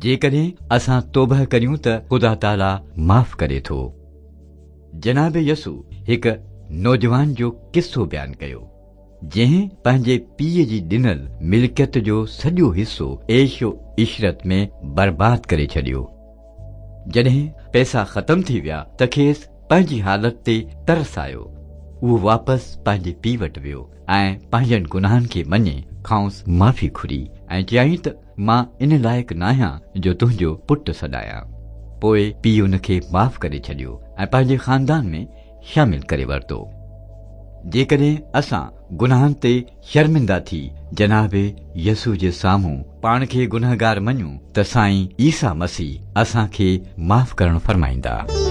جيڪڏهن اسان توبهه ڪريون ته خدا تعاليٰ معاف ڪري ٿو. جناب يسوع هڪ نوجوان جو قصو بيان ڪيو، جنهن پنهنجي پيء جي ڏنل ملڪيت جو سڄو حصو عيش و عشرت ۾ برباد ڪري ڇڏيو. جڏهن پئسا ختم ٿي ويا ته کيس پنهنجي حالت تي ترس آيو. اهو واپس پنهنجي پيء وٽ ويو ۽ پنهنجن گناهن کي مڃي کانئس معافي گهري ۽ چيائين ته مان ان لائق ناهيان جو تنهنجو پٽ سڏايان. پوء پيء ان کي معاف ڪري ڇڏيو ۽ پنهنجي خاندان ۾ شامل ڪري ورتو. جيڪڏهن اسان گناهن تي شرمنده ٿي جناب يسوع جي سامهون پاڻ کي گنهگار مڃون ته سائين عيسيٰ مسيح اسان کي معاف ڪرڻ فرمائيندا.